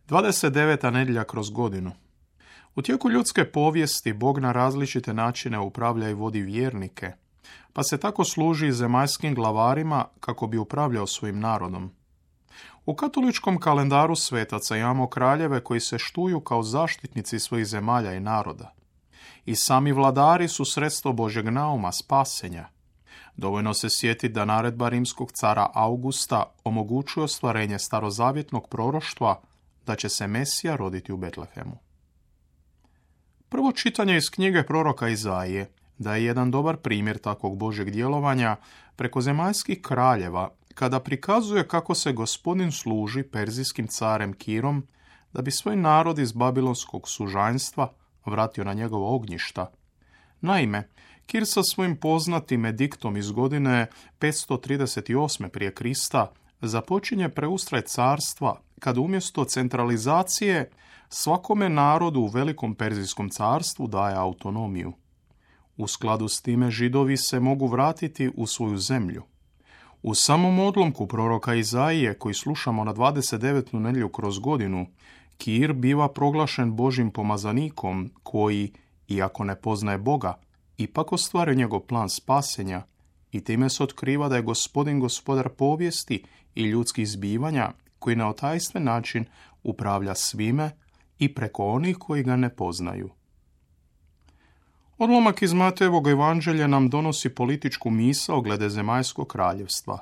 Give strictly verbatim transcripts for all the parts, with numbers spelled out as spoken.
dvadeset deveta nedjelja kroz godinu. U tijeku ljudske povijesti Bog na različite načine upravlja i vodi vjernike, pa se tako služi zemaljskim glavarima kako bi upravljao svojim narodom. U katoličkom kalendaru svetaca imamo kraljeve koji se štuju kao zaštitnici svojih zemalja i naroda. I sami vladari su sredstvo Božjeg nauma, spasenja. Dovoljno se sjetiti da naredba rimskog cara Augusta omogućuje ostvarenje starozavjetnog proroštva da će se Mesija roditi u Betlehemu. Prvo čitanje iz knjige proroka Izaije daje jedan dobar primjer takvog Božjeg djelovanja preko zemaljskih kraljeva, kada prikazuje kako se Gospodin služi perzijskim carem Kirom da bi svoj narod iz babilonskog sužanjstva vratio na njegova ognjišta. Naime, Kir sa svojim poznatim ediktom iz godine petsto trideset osme prije Krista započinje preustraj carstva kad umjesto centralizacije svakome narodu u velikom perzijskom carstvu daje autonomiju. U skladu s time Židovi se mogu vratiti u svoju zemlju. U samom odlomku proroka Izaije, koji slušamo na dvadeset devetu nedjelju kroz godinu, Kir biva proglašen Božjim pomazanikom koji, iako ne poznaje Boga, ipak ostvaruje njegov plan spasenja i time se otkriva da je Gospodin gospodar povijesti i ljudskih zbivanja koji na otajstven način upravlja svime i preko onih koji ga ne poznaju. Odlomak iz Matejevog evanđelja nam donosi političku misao glede zemaljskog kraljevstva.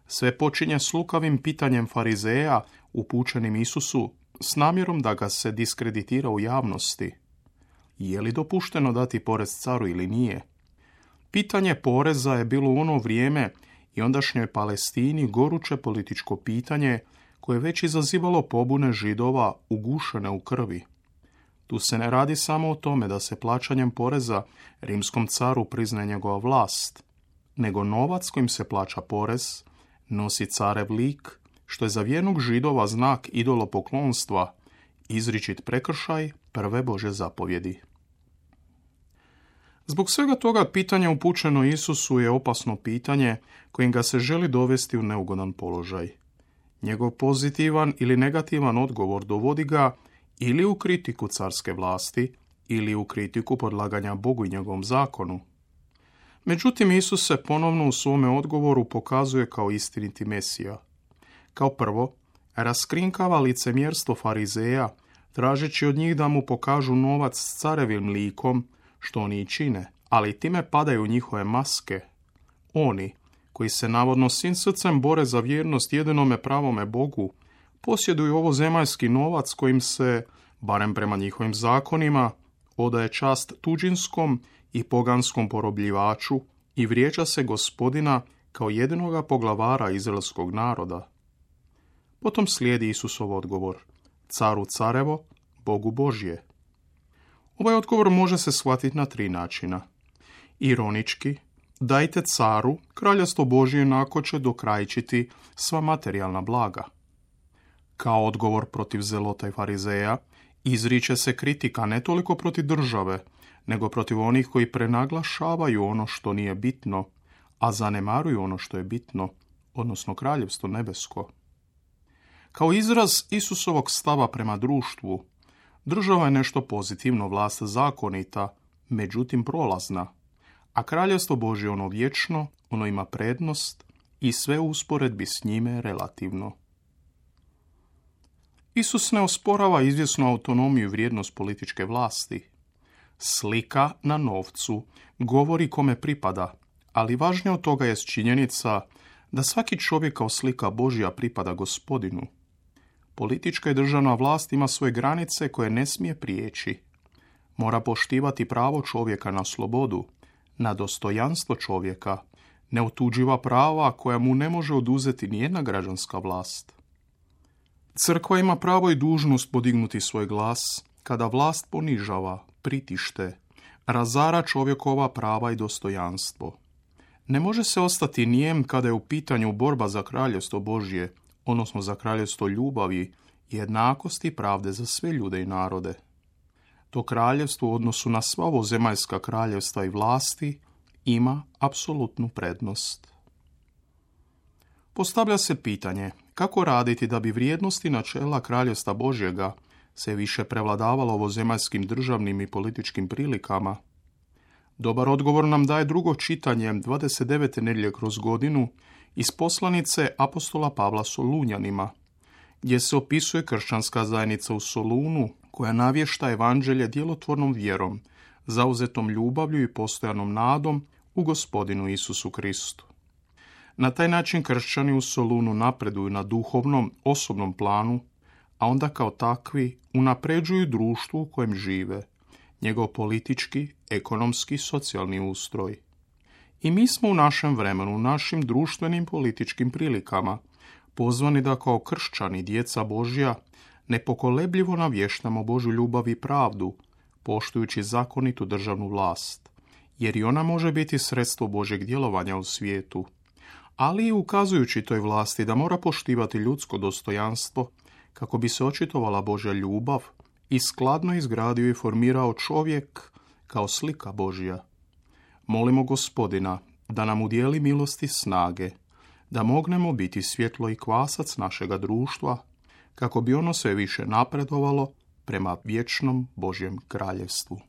Sve počinje s lukavim pitanjem farizeja upućenim Isusu s namjerom da ga se diskreditira u javnosti. Je li dopušteno dati porez caru ili nije? Pitanje poreza je bilo u ono vrijeme i ondašnjoj Palestini goruće političko pitanje koje je već izazivalo pobune Židova ugušene u krvi. Tu se ne radi samo o tome da se plaćanjem poreza rimskom caru priznaje njegova vlast, nego novac kojim se plaća porez nosi carev lik, što je za vjernog Židova znak idolopoklonstva, izričit prekršaj prve Božje zapovjedi. Zbog svega toga pitanje upućeno Isusu je opasno pitanje kojim ga se želi dovesti u neugodan položaj. Njegov pozitivan ili negativan odgovor dovodi ga ili u kritiku carske vlasti, ili u kritiku podlaganja Bogu i njegovom zakonu. Međutim, Isus se ponovno u svome odgovoru pokazuje kao istiniti Mesija. Kao prvo, raskrinkava licemjerstvo farizeja, tražeći od njih da mu pokažu novac s carevim likom, što oni i čine, ali time padaju njihove maske. Oni, koji se navodno svim srcem bore za vjernost jedinome pravome Bogu, posjeduju ovo zemaljski novac kojim se, barem prema njihovim zakonima, odaje čast tuđinskom i poganskom porobljivaču i vrijeđa se Gospodina kao jedinoga poglavara izraelskog naroda. Potom slijedi Isusov odgovor: caru carevo, Bogu Božje. Ovaj odgovor može se shvatiti na tri načina. Ironički, dajte caru, kraljevstvo Božje inako će dokrajčiti sva materijalna blaga. Kao odgovor protiv zelota i farizeja, izriče se kritika ne toliko protiv države, nego protiv onih koji prenaglašavaju ono što nije bitno, a zanemaruju ono što je bitno, odnosno kraljevstvo nebesko. Kao izraz Isusovog stava prema društvu, država je nešto pozitivno, vlast zakonita, međutim prolazna, a kraljevstvo Božje ono vječno, ono ima prednost i sve u usporedbi s njime je relativno. Isus ne osporava izvjesnu autonomiju i vrijednost političke vlasti. Slika na novcu govori kome pripada, ali važnije od toga je činjenica da svaki čovjek kao slika Božja pripada Gospodinu. Politička i državna vlast ima svoje granice koje ne smije prijeći. Mora poštivati pravo čovjeka na slobodu, na dostojanstvo čovjeka, neotuđiva prava koja mu ne može oduzeti nijedna građanska vlast. Crkva ima pravo i dužnost podignuti svoj glas kada vlast ponižava, pritište, razara čovjekova prava i dostojanstvo. Ne može se ostati nijem kada je u pitanju borba za kraljevstvo Božje, odnosno za kraljevstvo ljubavi, jednakosti i pravde za sve ljude i narode. To kraljevstvo u odnosu na sva ovo zemaljska kraljevstva i vlasti ima apsolutnu prednost. Postavlja se pitanje Kako raditi da bi vrijednosti načela Kraljevstva Božjega se više prevladavalo ovozemaljskim državnim i političkim prilikama? Dobar odgovor nam daje drugo čitanje dvadeset devete nedjelje kroz godinu iz poslanice apostola Pavla Solunjanima, gdje se opisuje kršćanska zajednica u Solunu koja navješta evanđelje djelotvornom vjerom, zauzetom ljubavlju i postojanom nadom u Gospodinu Isusu Kristu. Na taj način kršćani u Solunu napreduju na duhovnom, osobnom planu, a onda kao takvi unapređuju društvo u kojem žive, njegov politički, ekonomski, socijalni ustroj. I mi smo u našem vremenu, u našim društvenim političkim prilikama, pozvani da kao kršćani, djeca Božja, nepokolebljivo navještamo Božju ljubav i pravdu, poštujući zakonitu državnu vlast, jer i ona može biti sredstvo Božjeg djelovanja u svijetu, ali i ukazujući toj vlasti da mora poštivati ljudsko dostojanstvo kako bi se očitovala Božja ljubav i skladno izgradio i formirao čovjek kao slika Božja. Molimo Gospodina da nam udijeli milosti snage, da mognemo biti svjetlo i kvasac našega društva, kako bi ono sve više napredovalo prema vječnom Božjem kraljevstvu.